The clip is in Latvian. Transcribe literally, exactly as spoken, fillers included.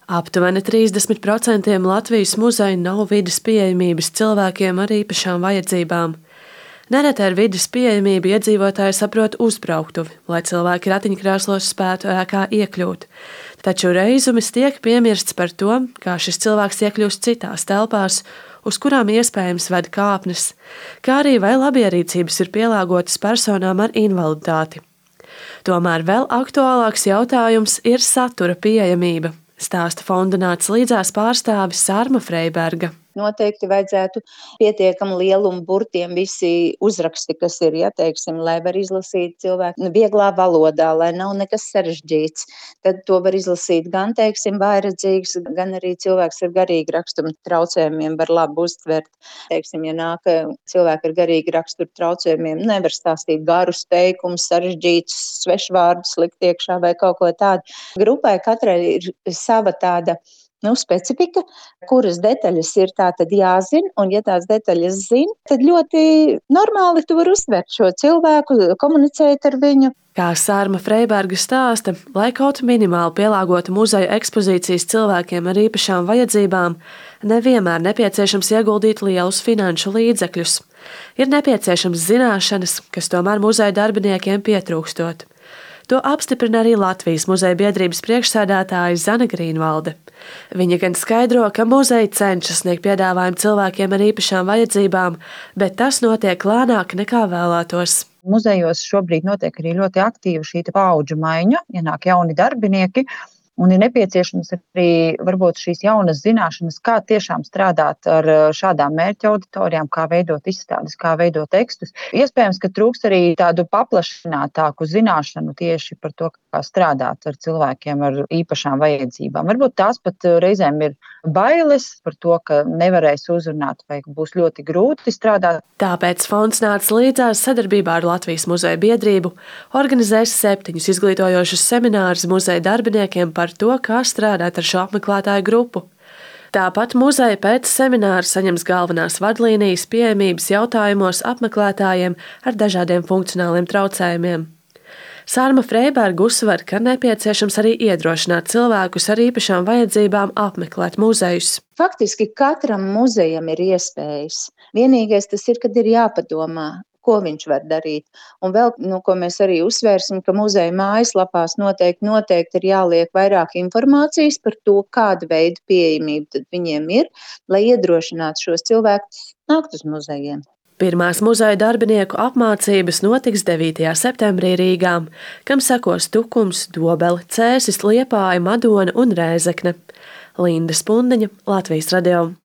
Aptuveni trīsdesmit procenti Latvijas muzeju nav vides pieejamības cilvēkiem ar īpašām vajadzībām. Nereti ar vides pieejamību iedzīvotāji saprot uzbrauktuvi, lai cilvēki ratiņkrēslos spētu ēkā iekļūt. Taču reizumis tiek piemirsts par to, kā šis cilvēks iekļūst citās telpās, uz kurām iespējams ved kāpnes, kā arī vai labierīcības ir pielāgotas personām ar invaliditāti. Tomēr vēl aktuālāks jautājums ir satura pieejamība, stāsta fonda Nāc līdzās pārstāve Sarma Freiberga. Noteikti vajadzētu pietiekami lielumu burtiem visi uzraksti, kas ir, ja teiksim, lai var izlasīt cilvēku vieglā valodā, lai nav nekas sarežģīts. Tad to var izlasīt gan, teiksim, vājredzīgs, gan arī cilvēks ar garīgi raksturu traucējumiem var labi uztvert. Teiksim, ja nāk cilvēki ar garīgi raksturu traucējumiem, nevar stāstīt garus teikumus, sarežģītus svešvārdus likt iekšā vai kaut ko tādu. Grupai katrai ir sava tāda Nu, specifika, kuras detaļas ir tātad jāzina, un ja tās detaļas zina, tad ļoti normāli tu vari uztvert šo cilvēku, komunicēt ar viņu. Kā Sarma Freiberga stāsta, lai kaut minimāli pielāgotu muzeja ekspozīcijas cilvēkiem ar īpašām vajadzībām, nevienmēr nepieciešams ieguldīt lielus finanšu līdzekļus. Ir nepieciešams zināšanas, kas tomēr muzeja darbiniekiem pietrūkstot. To apstiprina arī Latvijas muzeja biedrības priekšsēdētāja Zane Grīnvalde. Viņa gan skaidro, ka muzeja cenšas sniegt piedāvājumu cilvēkiem ar īpašām vajadzībām, bet tas notiek lēnāk nekā vēlētos. Muzejos šobrīd notiek arī ļoti aktīva šī paudžu maiņa, ienāk jauni darbinieki, un ir nepieciešams arī varbūt šīs jaunas zināšanas, kā tiešām strādāt ar šādām mērķa auditorijām, kā veidot izstādes, kā veidot tekstus. Iespējams, ka trūks arī tādu paplašinātāku zināšanu tieši par to, kā strādāt ar cilvēkiem ar īpašām vajadzībām. Varbūt tās pat reizēm ir bailes par to, ka nevarēs uzrunāt vai būs ļoti grūti strādāt. Tāpēc fonds Nāc līdzās sadarbībā ar Latvijas muzeja biedrību organizēs septiņus izglītojošus seminārus muzeja darbiniekiem par to, kā strādāt ar šo apmeklētāju grupu. Tāpat muzeja pēc semināra saņems galvenās vadlīnijas pieejamības jautājumos apmeklētājiem ar dažādiem funkcionāliem traucējumiem. Sarma Freiberga uzsver, ka nepieciešams arī iedrošināt cilvēkus ar īpašām vajadzībām apmeklēt muzejus. Faktiski katram muzejam ir iespējas. Vienīgais tas ir, kad ir jāpadomā, ko viņš var darīt. Un vēl, nu, ko mēs arī uzsvērsim, ka muzeja mājaslapās noteikti, noteikti ir jāliek vairāk informācijas par to, kāda veida pieejamība tad viņiem ir, lai iedrošinātu šos cilvēkus nākt uz muzejiem. Pirmās muzeja darbinieku apmācības notiks devītajā septembrī Rīgā, kam sekos Tukums, Dobele, Cēsis, Liepāja, Madona un Rēzekne. Linda Spundiņa, Latvijas radio.